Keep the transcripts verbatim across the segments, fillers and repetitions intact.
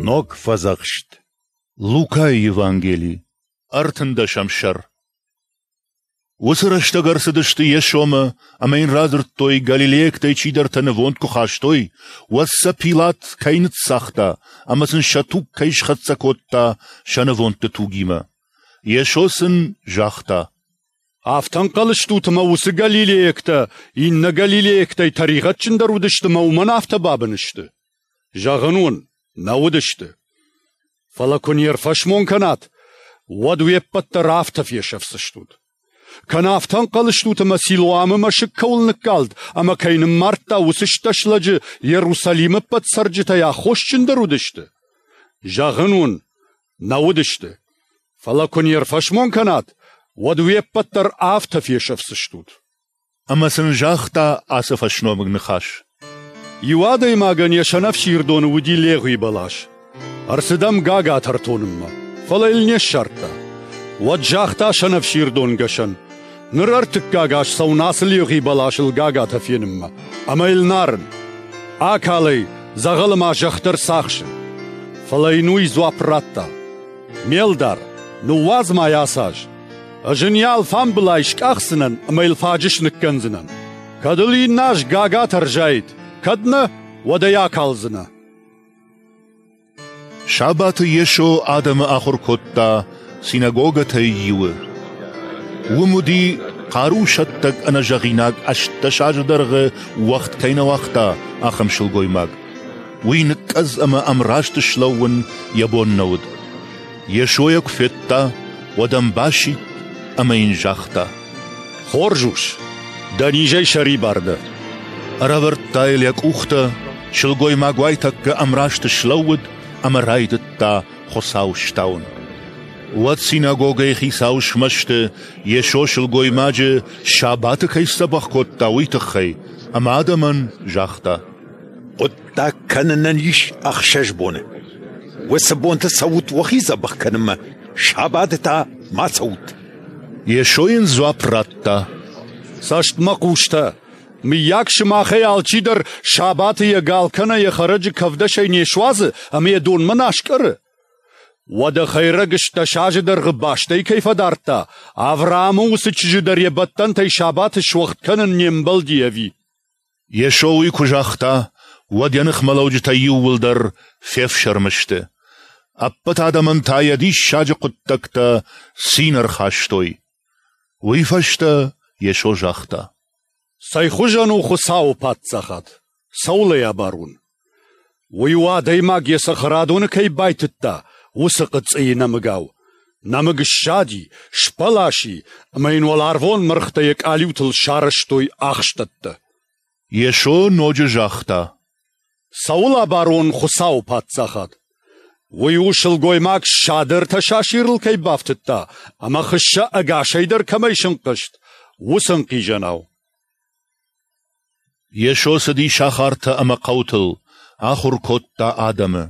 Ног Фӕдзӕхст. Лукайы Евангели, ӕртындӕсӕм сӕр. Уыцы рӕстӕг ӕрцыдысты Йесомӕ ӕмӕ йын радзырдтой, галилейӕгтӕй чидӕртӕ нывонд куы хастой, уӕд сӕ Пилат кӕй ныццагъта ӕмӕ сын сӕ туг кӕй схӕццӕ кодта сӕ нывондты тугимӕ. Йесо сын загъта: Афтӕ ӕнхъӕл стут, ӕмӕ уыцы галилейӕгтӕ иннӕ галилейӕгтӕй тӕригъӕдджындӕр уыдысты ӕмӕ уымӕн афтӕ бабын сты? Зӕгъын уын, нӕ уыдысты. Фӕлӕ куы не рфӕсмон кӕнат, уӕд уе ппӕт дӕр афтӕ фесӕфдзыстут. Кӕнӕ афтӕ ӕнхъӕл стут, ӕмӕ Силоамы мӕсыг кӕуыл ныккалд ӕмӕ кӕй ныммардта, уыцы стӕс лӕджы Иерусалимы ӕппӕт цӕрджытӕй аххосджындӕр уыдысты? Зӕгъын уын, нӕ уыдысты. Фӕлӕ куы не рфӕсмон кӕнат, уӕд уе ппӕт дӕр афтӕ фесӕфдзыстут. Ӕмӕ сын загъта ацы фӕсномыг ныхас: Иу адӕймагӕн йӕ сӕнӕфсирдоны уыди легъуи бӕлас. Ӕрцыд ӕм гагатӕ ӕртонынмӕ, фӕлӕ йыл не ссардта. Уӕд загъта сӕнӕфсирдонгӕсӕн: Ныр ӕртыккаг аз цӕуын ацы легъуи бӕласыл гагатӕ фенынмӕ, ӕмӕ йыл нарын. Акал ӕй, дзӕгъӕлы ма зӕхх дӕр цахсы. Фӕлӕ йын уый дзуапп радта: Ме лдар, ныууадз ма йӕ ацы аз. Ӕз ын йӕ алфамбылай скъахдзынӕн ӕмӕ йыл фаджыс ныккӕндзынӕн. Кӕд ыл иннӕ аз гагатӕ ӕрзаид, кӕд нӕ, уӕд ӕй акалдзынӕ. Сабаты Йесо адӕмы ахуыр кодта синагогӕтӕй иуы. Уым уыди хъарусӕттӕг ӕнӕзӕгъинаг ӕстдӕс азы дӕргъы уӕгъд кӕй нӕ уагъта, ахӕм сылгоймаг. Уый ныкъкъӕдз ӕмӕ ӕмраст слӕууын йӕ бон нӕ уыд. Йесо йӕ куы федта, уӕд ӕм басидт ӕмӕ йын загъта: Хорз ус, дӕ низӕй сӕрибар дӕ. Ӕрӕвӕрдта йыл йӕ къухтӕ, сылгоймаг уайтӕккӕ ӕмраст слӕууыд ӕмӕ райдыдта Хуыцауы стауын. Уӕд синагогӕйы хицау смӕсты, Йесо сылгоймаджы сабаты кӕй сдзӕбӕх кодта, уый тыххӕй, ӕмӕ адӕмӕн загъта: Хъуыддаг кӕнынӕн ис ӕхсӕз боны. Уыцы бонты цӕут уӕхи дзӕбӕх кӕнынмӕ, сабаты та ма цӕут. Йесо йын дзуапп радта: Цӕстмӕхъустӕ, мыййаг сымахӕй алчидӕр сабаты йӕ гал кӕнӕ йӕ хӕрӕджы кӕвдӕсӕй не суадзы ӕмӕ йӕ донмӕ нӕ аскъӕры? Уӕдӕ хӕйрӕг стӕс азы дӕргъы бастӕй кӕй фӕдардта, Авраамы уыцы чызджы дӕр йӕ бӕттӕнтӕй сабаты суӕгъд кӕнын не мбӕлди ӕви? Йесо уый куы загъта, уӕд йӕ ныхмӕлӕуджытӕ иууылдӕр фефсӕрмы сты. Ӕппӕт адӕмӕн та йӕ диссаджы хъуыддӕгтӕ цин ӕрхастой. Уый фӕстӕ Йесо загъта: Цӕй хуызӕн у Хуыцауы паддзахад? Цӕуыл ӕй абарон? Уый у адӕймаг йӕ цӕхӕрадоны кӕй байтыдта, уыцы хъыцъыйы нӕмыгау. Нӕмыг ссади, сбӕлас и, ӕмӕ йын уӕларвон мӕргътӕ йӕ къалиутыл сарӕзтой ахстӕттӕ. Йесо ноджы загъта: Цӕуыл абарон Хуыцауы паддзахад? Уый у сылгоймаг ссады ӕртӕ сасирыл кӕй бафтыдта ӕмӕ хыссӕ ӕгасӕй дӕр кӕмӕй сынхъызт, уыцы ӕнхъизӕнау. Йесо цыди сахартӕ ӕмӕ хъӕутыл, ахуыр кодта адӕмы.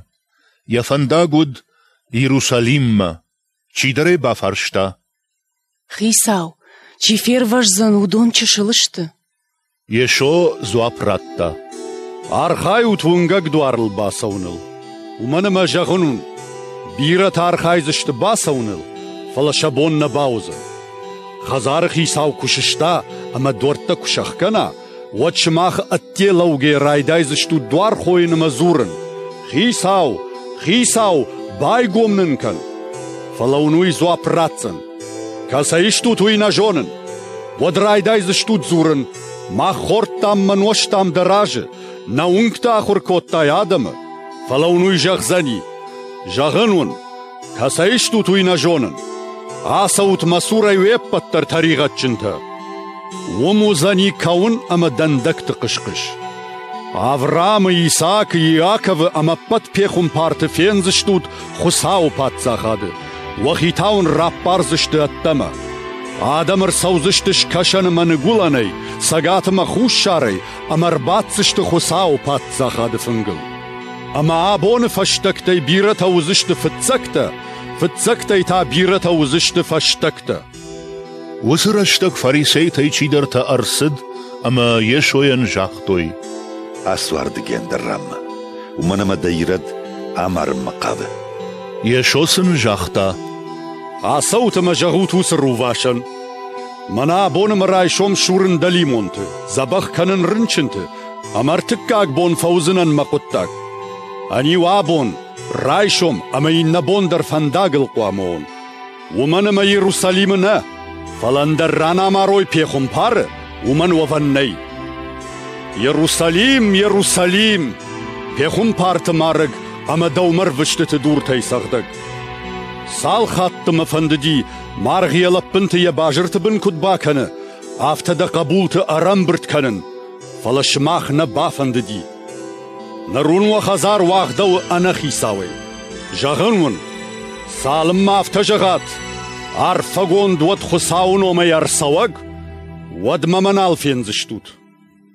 Йӕ фӕндаг уыд Иерусалиммӕ. Чидӕр ӕй бафарста: Хицау, чи фервӕздзӕн, уыдон чысыл сты? Йесо дзуапп радта: Архайут уынгӕг дуарыл бацӕуыныл, уымӕн ӕмӕ зӕгъын уын, бирӕтӕ архайдзысты бацӕуыныл, фӕлӕ сӕ бон нӕ бауыдзӕн. Хӕдзары хицау куы сыста ӕмӕ дуӕрттӕ куы сӕхгӕна, уӕд сымах ӕдде лӕугӕ райдайдзыстут дуар хойын ӕмӕ дзурын: Хицау, Хицау, байгом нын кӕн! Фӕлӕ уын уый дзуапп ратдзӕн: Кӕцӕй стут, уый нӕ зонын. Уӕд райдайдзыстут дзурын: Мах хордтам мӕ нозтам дӕ разы, нӕ уынгты ахуыр кодтай адӕмы. Фӕлӕ уын уый зӕгъдзӕни: Зӕгъын уын, кӕцӕй стут, уый нӕ зонын. Ацӕут мӕ цурӕй уе ппӕт дӕр тӕригъӕдджынтӕ. Уым уыдзӕни кӕуын ӕмӕ дӕндӕгты хъыс-хъыс. Авраамы, Исаакы, Иаковы ӕмӕ ӕппӕт пехуымпарты фендзыстут Хуыцауы паддзахады. Уӕхи та уын раппардзысты ӕддӕмӕ. Адӕм ӕрцӕудзысты скӕсӕны мӕ ныгуылӕнӕй, цӕгаты мӕ хуссарӕй ӕмӕ ӕрбаддзысты Хуыцауы паддзахады фынгыл. Ӕмӕ абоны фӕстӕгтӕй бирӕтӕ уыдзысты фыццӕгтӕ, фыццӕгтӕй та бирӕтӕ уыдзысты фӕстӕгтӕ. Уыцы рӕстӕг фарисейтӕй чидӕртӕ ӕрцыд ӕмӕ Йесойӕн загътой: Ацу ардыгӕй ӕндӕр ранмӕ, уымӕн ӕмӕ дӕ Ирод амарынмӕ хъавы. Йесо сын загъта: Ацӕут ӕмӕ зӕгъут уыцы рувасӕн: Мӕнӕ абон ӕмӕ райсом сурын дӕлимонты, дзӕбӕх кӕнын рынчынты, ӕмӕ ӕртыккаг бон фӕуыдзынӕн мӕ хъуыддаг. Ӕниу абон, райсом ӕмӕ иннӕ бон дӕр фӕндагыл хъуамӕ уон. Уымӕн ӕмӕ Иерусалимы нӕ, фӕлӕ ӕндӕр ран амарой пехуымпары, уымӕн уӕвӕн нӕй. Иерусалим, Иерусалим, пехуымпарты марӕг ӕмӕ дӕумӕ рвыстыты дуртӕй цӕгъдӕг! Цал хатты мӕ фӕндыди, маргъ йӕ лӕппынты йӕ базырты бын куыд бакӕны, афтӕ дӕ хъӕбулты ӕрӕмбырд кӕнын, фӕлӕ сымах нӕ бафӕндыди. Ныр уын уӕ хӕдзар уагъдӕуы ӕнӕхицауӕй. Зӕгъын уын, цалынмӕ афтӕ зӕгъат, арфӕгонд уӕд Хуыцауы номӕй ӕрцӕуӕг, уӕдмӕ мӕ нал фендзыстут.